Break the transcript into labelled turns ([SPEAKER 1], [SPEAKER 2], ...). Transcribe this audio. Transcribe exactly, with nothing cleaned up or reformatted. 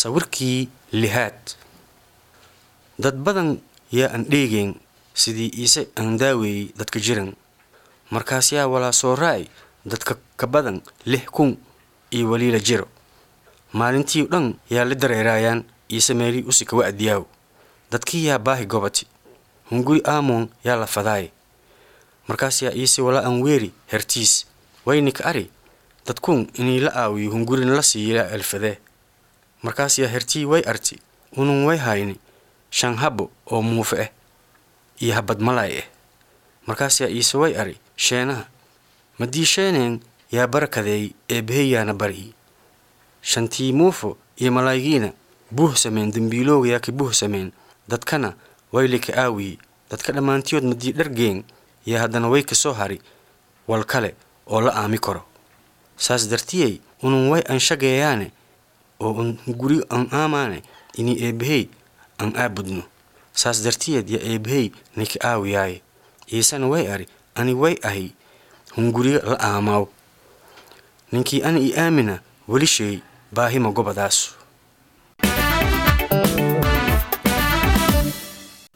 [SPEAKER 1] Sawirkii lixaad. Dad badan yaa aan dheegayn sidii Iise aan daaweeyey dadka jiran. Markaas yaa walaa soo raaci dadka ka badan lix kun iyo waliila jiro. Maalintii oo dhan yaa la dareeraayaan Iise meelii usi ka wa'diyaaw. Dadkii yaa baahi gobati. Hunguri aamoon yaa la fadaay. Markaas yaa Iise walaa aan weeri hertiis. Wayni ka ari dadkuun inii la aawiyo hungurina la siiyo yaa elfadee. Markaas yaa hertii way arti unun way hayni shan habo oo muufe ah iyo habad malaay ah. Markaas yaa Iise way ari sheenaha. Madii sheeneen yaa barakadeey eebbahayaana bari. Shantii muufo iyo malaaygiina buuh sameen dembiilooga yaa ka buuh sameen dadkana way lika aawiye. Dadka dhammaantiyood madii dhargeen yaa haddana way ka soo hari wal kale oo la aami karo. Saas dartiyey unun way aan shageeyaane oo un hunguri aan aamaane inii eebbahey aan aabudno. Saas dartiyeed yaa eebbahey nika aawiyaaye. Iisana way ari ani way ahi hunguriga la aamaaw. Ninkii ani i aamina weli shay baahima gobadaas.